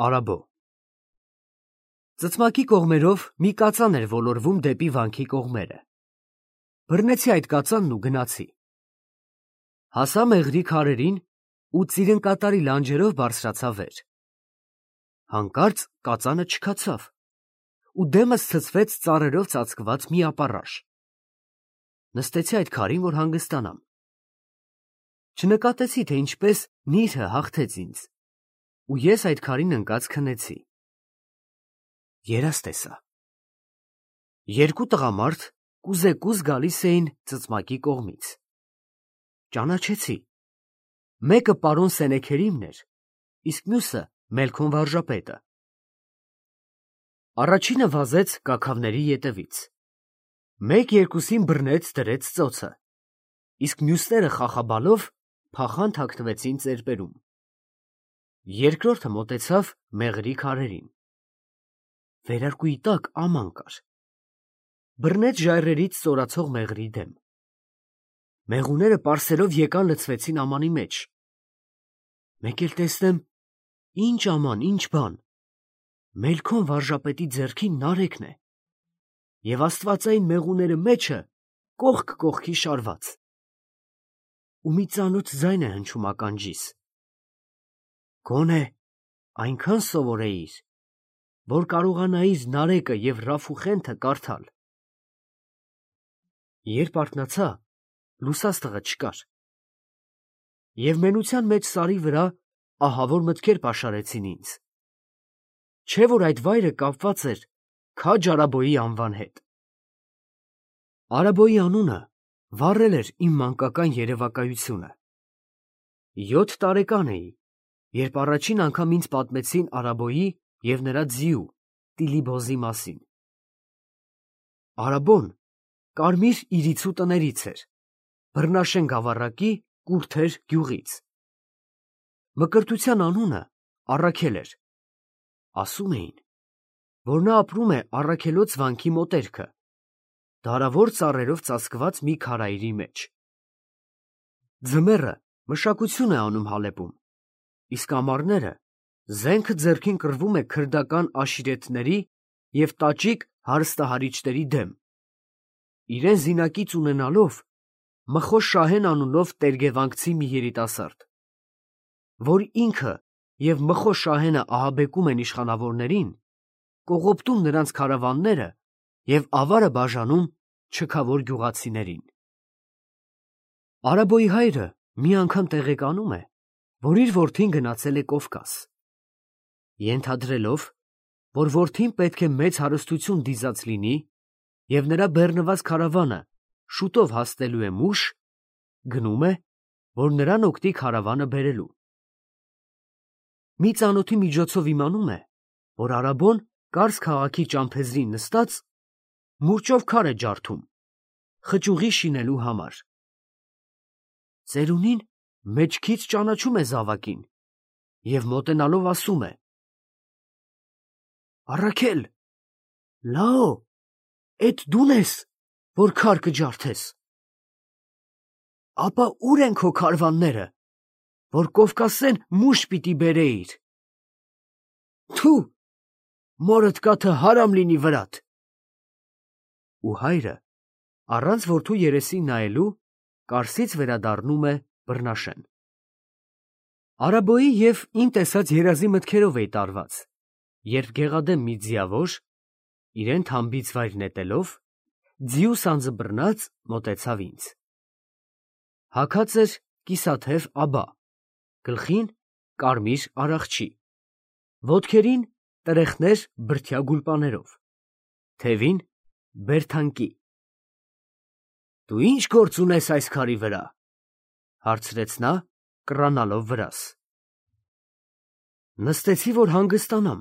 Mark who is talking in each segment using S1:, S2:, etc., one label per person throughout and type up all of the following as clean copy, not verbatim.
S1: Արաբո Ծծմակի կողմերով մի կածան էր ոլորվում դեպի վանքի կողմերը։ Բռնեցի այդ կածանն ու գնացի։ Հասա մեղրի քարերին ու ծիրնկատարի լանջերով բարձրացա վեր։ Հանկարծ կածանը չքացավ ու դեմս ցցվեց ծառերով ծածկված մի ապառաշ։ Նստեցի այդ քարին, որ հանգստանամ։ Չնկատեցի, թե ինչպես նիրհը հաղթեց ինձ, ու ես այդ քարին ընկած քնեցի։ Երազ տեսա։ Երկու տղամարդ կուզեկուզ գալիս էին ծծմակի կողմից։ Ճանաչեցի։ Մեկը պարոն Սենեքերիմն էր, իսկ մյուսը Մելքոն վարժապետը։ Առաջինը վազեց կաքավների ետևից։ Մեկ-երկուսին բռնեց, դրեց ծոցը, իսկ մյուսները խախաբալով փախան թաքնվեցին ծերպերում։ Երկրորդը մոտեցավ մեղրի քարերին։ Վերարկուի տակ աման կար։ Բռնեց ժայռերից ստորացող մեղրի դեմ։ Մեղուները պարսելով եկան լցվեցին ամանի մեջ։ Մեկ էլ տեսնեմ, ինչ աման, ինչ բան։ Մելքոն վարժապետի ձեռքին նարեկն է, և աստվածային մեղուները մեջը կողք կողքի շարված։ Ու մի ծանոթ ձայն է հնչում ականջիս. «Գոնե այնքան սովորեիր, որ կարողանայիր նարեկը և Ռաֆուխենթը կարդալ»։ Երբ արթնացա, լուսաստղը չկար, և մենության մեջ սարի վրա ահավոր մտքեր պաշարեցին ինձ, չէ՞ որ այդ վայրը կապված էր Քաջ Արաբոյի անվան հետ։ Արաբոյի անունը վառել էր իմ մանկական երևակայությունը։ 7 տարեկան էի, երբ առաջին անգամ ինձ պատմեցին Արաբոյի և նրա ձիու Տիլիբոզի մասին։ Արաբոն կարմիր իրիցու տներից էր, Բռնաշեն գավառակի Կուրթեր գյուղից։ Մկրտության անունը Առաքել էր։ Ասում էին, որ նա ապրում է Առաքելոց վանքի մոտերքը, դարավոր ծառերով ծածկված մի քարայրի մեջ։ Ձմեռը մշակություն է անում Հալեպում, իսկ ամառները զենքը ձեռքին կռվում է քրդական աշիրեթների և տաճիկ հարստահարիչների դեմ, իրեն զինակից ունենալով Մխոշ Շահեն անունով տերգևանգցի մի երիտասարդ, որ ինքը և Մխոշ Շահենը ահաբեկում են իշխանավորներին, կողոպտում նրանց քարավանները և ավարը բաժանում չքավոր գյուղացիներին։ Արաբոյի հայրը մի անգամ տեղեկանում է, որ իր որդին գնացել է Կովկաս, ենթադրելով, որ որդին պետք է մեծ հարստություն դիզած լինի և նրա բեռնված քարավանը շուտով հասնելու է Մուշ, գնում է, որ նրան օգնի քարավանը բերելու։ Մի ծանոթի միջոցով իմանում է, որ Արաբոն Կարս քաղաքի ճամփեզրին նստած մուրճով քար է ջարդում, խճուղի շինելու համար։ Ծերունին մեջքից ճանաչում է զավակին և մոտենալով ասում է. «Առաքել, լաո, էդ դու՞ն ես, որ քար կջարդես։ Ապա ո՞ւր են քո քարավանները, որ Կովկասեն Մուշ պիտի բերեիր։ Թու, մորդ կաթը հարամ լինի վրադ»։ Ու հայրը, առանց որդու երեսին նայելու, Կարսից վերադառնում է Բռնաշեն։ Արաբոյի և իմ տեսած երազի մտքերով էի տարված, երբ գեղադեմ մի ձիավոր, իրեն թամբից վայր նետելով, ձիու սանձը բռնած մոտեցավ ինձ։ Հագած էր կիսաթև աբա, գլխին կարմիր արախչի, ոտքերին տրեխներ բրդյա գուլպաներով, թևին բերթանկի։ «Դու ի՞նչ գործ ունես այս քարի վրա», հարցրեց նա, կռանալով վրաս։ Նստեցի, որ հանգստանամ,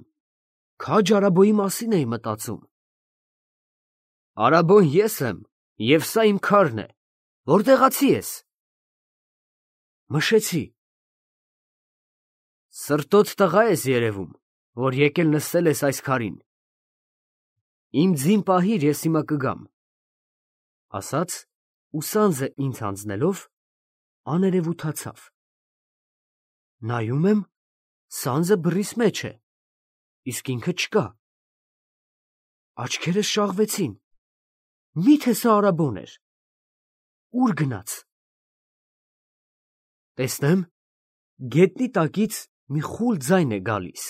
S1: Քաջ Արաբոյի մասին էի մտածում։ Արաբոն ես եմ, և սա իմ քարն է, որտեղացի ես։ Մշեցի։ Սրտոտ տղա ես երևում, որ եկել նստել ես այս քարին։ Իմ ձին պահիր, ես հիմա կգամ, ասաց ու սանձը ինձ հանձնելով, աներևութացավ։ Նայում եմ, սանձը բռիս մեջ է, իսկ ինքը չկա։ Աչքերս շաղվեցին։ Մի՞թե սա Արաբոն էր։ Ուր գնաց։ Տեսնեմ, գետնի տակից մի խուլ ձայն է գալիս.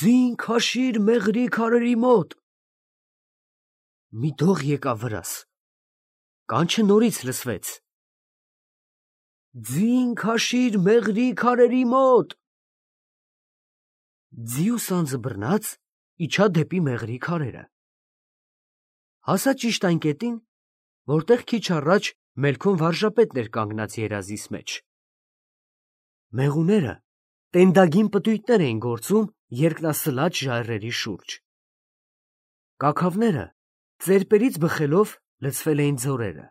S1: «Ձին քաշիր մեղրի քարերի մոտ»։ Մի դող եկավ վրաս։ Կանչը նորից լսվեց. «Ձին քաշիր մեղրի քարերի մոտ»։ Ձիու սանձը բռնած իջա դեպի մեղրի քարերը։ Հասա ճիշտ այն կետին, որտեղ քիչ առաջ Մելքոն վարժապետն էր կանգնած երազիս մեջ։ Մեղուները տենդագին պտույտներ էին գործում երկնասլաչ ժայռերի շուրջ։ Կաքավները ծերպերից բխելով լցվել էին ձորերը։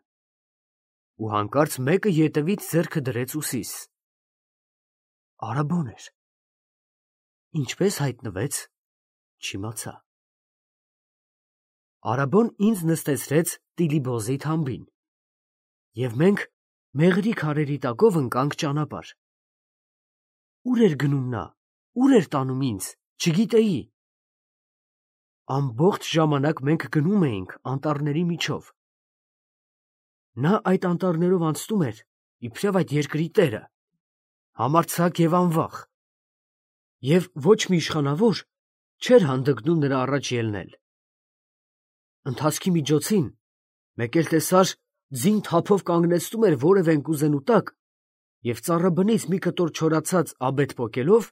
S1: Ու հանկարծ մեկը ետևից ձեռքը դրեց ուսիս։ Արաբոն էր։ Ինչպես հայտնվեց, չիմացա։ Արաբոն ինձ նստեցրեց Տիլիբոզի թամբին, և մենք մեղրի քարերի տակով ընկանք ճանապարհ։ Ուր էր գնում նա, ուր էր տանում ինձ, չգիտեի։ Ամբողջ ժամանակ մենք գնում էինք անտառների միջով։ Նա այդ անտառներով անցնում էր, իբրև այդ երկրի տերը, համարձակ և անվախ, և ոչ մի իշխանավոր չէր հանդգնում նրա առաջ ելնել։ Ընթացքի միջոցին մեկ էլ տեսար, ձին թափով կանգնեցնում էր որևէ ընկուզենու տակ և ծառաբնից մի կտոր չորացած աբեթ պոկելով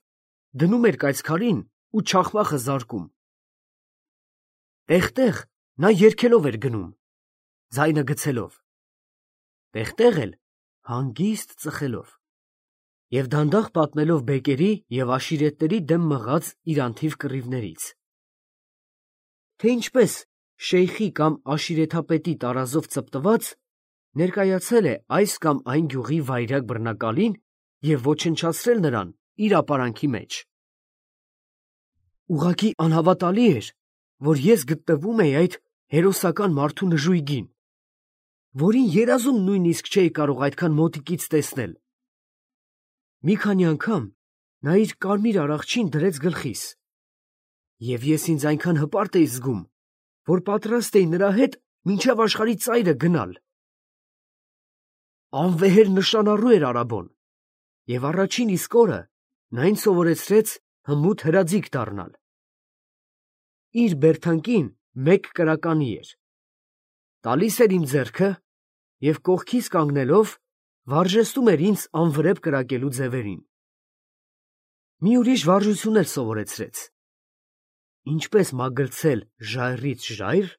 S1: դնում էր կայծքարին ու չախմախը զարկում։ Տեղ-տեղ նա երգելով էր գնում, ձայնը գցելով, տեղ-տեղ էլ հանգիստ ծխելով և դանդաղ պատմելով բեկերի և աշիրետների դեմ մղած իր անթիվ կռիվներից, թե ինչպես շեյխի կամ աշիրեթապետի տարազով ծպտված ներկայացել է այս կամ այն գյուղի վայրագ բռնակալին և ոչնչացրել նրան իր ապարանքի մեջ։ Ուղղակի անհավատալի էր, որ ես գտնվում էի այդ հերոսական մարդու նժույգին, որին երազում նույնիսկ չէի կարող այդքան մոտիկից տեսնել։ Մի քանի անգամ նա իր կարմիր արաղչին դրեց գլխիս, և ես ինձ այնքան հպարտ էի զգում, որ պատրաստ էի նրա հետ մինչև աշխարհի ծայրը գնալ։ Անվեհեր նշանառու էր Արաբոն, և առաջին իսկ օրը նա ինձ սովորեցրեց հմուտ հրաձիգ դառնալ։ Իր բերդանկին մեկ կրականի էր, տալիս էր իմ ձեռքը և կողքիս կանգնելով վարժեցնում էր ինձ անվրեպ կրակելու ձևերին։ Մի ուրիշ վարժություն էլ սովորեցրեց. ինչպես մագլցել ժայռից ժայռ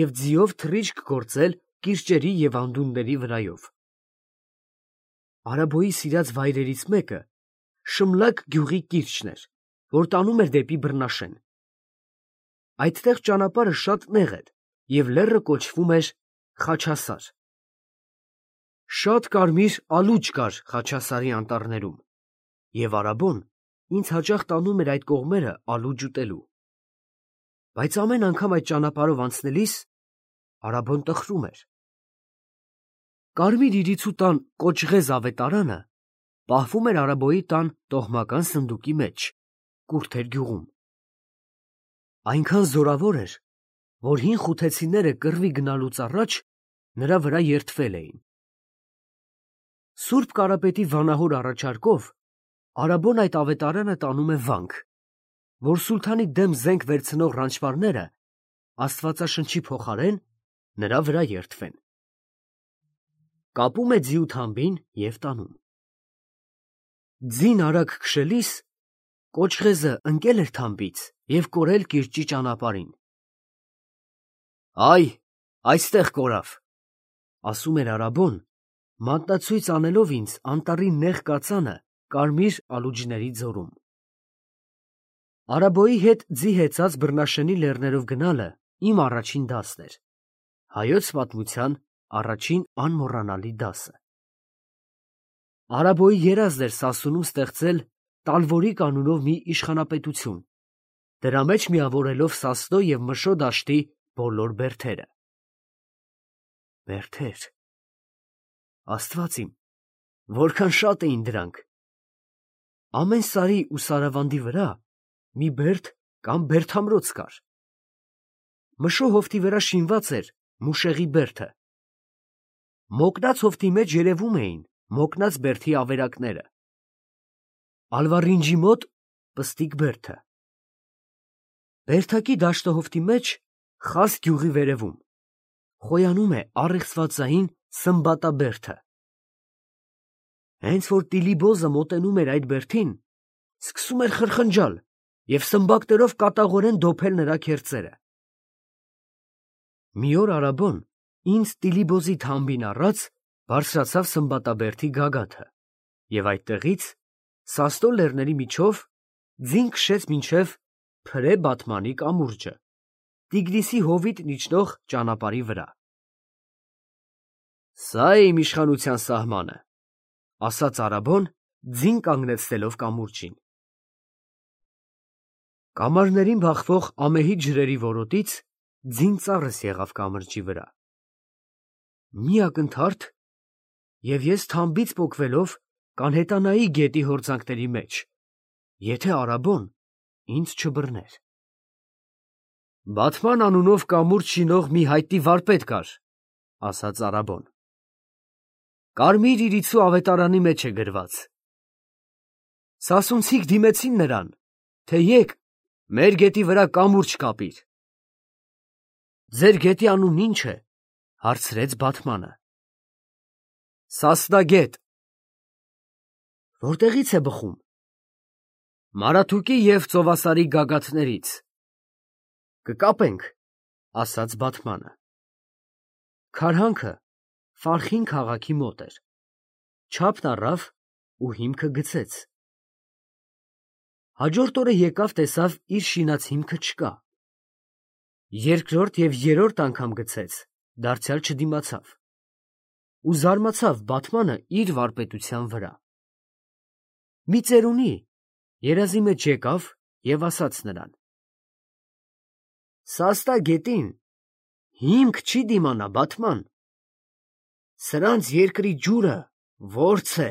S1: և ձիով թռիչք գործել կիրճերի և անդունդների վրայով։ Արաբոյի սիրած վայրերից մեկը Շմլակ գյուղի կիրճն էր, որ տանում էր դեպի Բռնաշեն։ Այդտեղ ճանապարհը շատ նեղ էր, և լեռը կոչվում էր Խաչասար։ Շատ կարմիր ալուչ կար Խաչասարի անտառներում, և Արաբոն ինձ հաճախ տանում էր այդ կողմերը ալուչ ուտելու։ Բայց ամեն անգամ այդ ճանապարհով անցնելիս Արաբոն տխրում էր։ Կարմիր իրիցու տան կոճղեզ ավետարանը պահվում էր Արաբոյի տան տոհմական սնդուկի մեջ, Կուրթեր գյուղում։ Այնքան զորավոր էր, որ հին խութեցիները կռվի գնալուց առաջ նրա վրա երդվել էին։ Սուրբ Կարապետի վանահոր առաջարկով Արաբոն այդ ավետարանը տանում է վանք, որ սուլթանի դեմ զենք վերցնող ռանչվարները աստվածաշնչի փոխարեն նրա վրա երդվեն։ Կապում է ձիու թամբին և տանում։ Ձին արագ քշելիս կոճղեզը ընկել էր թամբից և կորել կիրճի ճանապարհին։ «Այ, այստեղ կորավ», ֊ ասում էր Արաբոն, մատնացույց անելով ինձ անտառի նեղ կածանը կարմիր ալուջների ձորում։ Արաբոյի հետ ձի հեծած Բռնաշենի լեռներով գնալը իմ առաջին դասն էր, հայոց պատմության առաջին անմոռանալի դասը։ Արաբոյի երազն էր Սասունում ստեղծել Տալվորիկ անունով մի իշխանապետություն, դրա մեջ միավորելով Սասնո և Մշո դաշտի բոլոր բերդերը։ Բերդեր… Աստված իմ, որքան շատ էին դրանք։ Ամեն սարի ու սարավանդի վրա մի բերդ կամ բերդամրոց կար։ Մշո հովտի վրա շինված էր մուշեղի բերդը։ Մոկնած հովտի մեջ երևում էին մոկնած բերդի ավերակները։ Ալվարինջի մոտ պստիկ բերդը։ Բերդակի դաշտահովտի մեջ խաս գյուղի վերևում խոյանում է առեղծվածային Սմբատա բերդը։ Հենց որ Տիլիբոզը մոտենում էր այդ բերդին, սկսում էր խրխնջալ և սմբակներով կատաղորեն դոփել նրա քերծերը։ Մի օր Արաբոն ինձ Տիլիբոզի թամբին առած բարձրացավ Սմբատաբերդի գագաթը և այդտեղից Սաստո լեռների միջով ձին քշեց մինչև Փրե Բաթմանի կամուրջը, Տիգրիսի հովիտ իջնող ճանապարհի վրա։ «Սա է իմ իշխանության սահմանը», ասաց Արաբոն, ձին կանգնեցնելով կամուրջին։ Կամարներին բախվող ամեհի ջրերի որոտից ձին ծառս եղավ կամրջի վրա։ Մի ակնթարթ, և ես թամբից պոկվելով կանհետանայի գետի հորձանքների մեջ, եթե Արաբոն ինձ չբռներ։ «Բաթման անունով կամուրջ շինող մի հայտնի վարպետ կար», ասաց Արաբոն։ «Կարմիր իրիցու ավետարանի մեջ է գրված։ Սասունցիք դիմեցին նրան, թե եկ մեր գետի վրա կամուրջ կապիր»։ «Ձեր գետի անունն ի՞նչ է», հարցրեց Բաթմանը։ «Սասնագետ»։ «Որտեղից է բխում»։ «Մարաթուկի և Ծովասարի գագաթներից»։ «Կկապենք», ասաց Բաթմանը։ Քարհանքը Ֆարխին քաղաքի մոտ էր։ Չափն առավ ու հիմքը գցեց։ Հաջորդ օրը եկավ տեսավ իր շինած հիմքը չկա։ Երկրորդ և երրորդ անգամ գցեց, դարձյալ չդիմացավ։ Ու զարմացավ Բաթմանը իր վարպետության վրա։ Մի ծերունի երազի մեջ եկավ և ասաց նրան. «Սաստա գետին հիմք չի դիմանա, Բաթման, սրանց երկրի ջուրը որց է։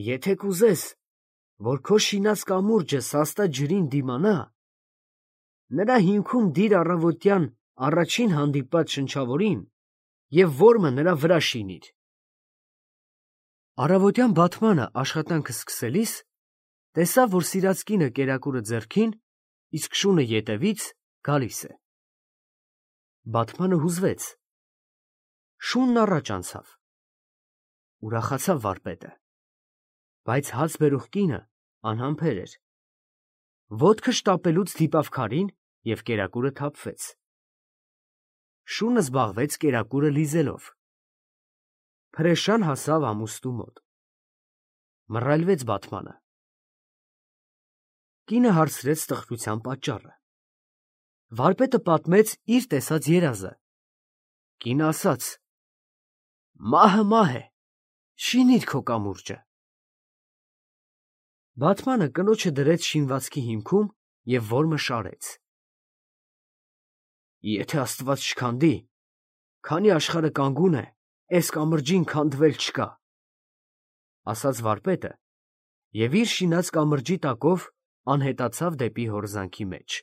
S1: Եթե կուզես, որ քո շինած կամուրջը սաստա ջրին դիմանա, նրա հիմքում դիր առավոտյան առաջին հանդիպած շնչավորին և որմը նրա վրա շինիր»։ Առավոտյան Բաթմանը աշխատանքը սկսելիս տեսավ, որ սիրած կինը կերակուրը ձեռքին, իսկ շունը ետևից գալիս է։ Բաթմանը հուզվեց, շունն առաջ անցավ։ Ուրախացավ վարպետը, բայց հաց բերող կինը անհամբեր էր։ Ոտքը շտապելուց դիպավ քարին և կերակուրը թափվեց։ Շունը զբաղվեց կերակուրը լիզելով։ Փրեշան հասավ ամուստու մոտ։ Մռայլվեց Բաթմանը։ Կինը հարցրեց տխրության պատճառը։ Վարպետը պատմեց իր տեսած երազը։ Կինը ասաց. «Մահը մահ է, շինիր քո կամուրջը»։ Բաթմանը կնոջը դրեց շինվածքի հիմքում և որմը շարեց։ «Եթե Աստված չքանդի, քանի աշխարհը կանգուն է, էս կամրջին քանդվել չկա», ասաց վարպետը և իր շինած կամրջի տակով անհետացավ դեպի հորձանքի մեջ։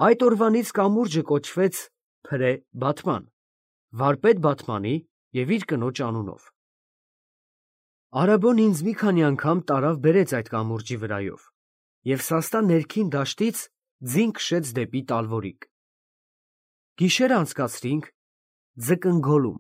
S1: Այդ օրվանից կամուրջը կոչվեց Փրե Բաթման, վարպետ Բաթմանի և իր կնոջ անունով։ Արաբոն ինձ մի քանի անգամ տարավ բերեց այդ կամուրջի վրայով և սաստա ներքին դաշտից ձին քշեց դեպի Տալվորիկ։ Գիշերը անցկացրինք ձկնգոլում։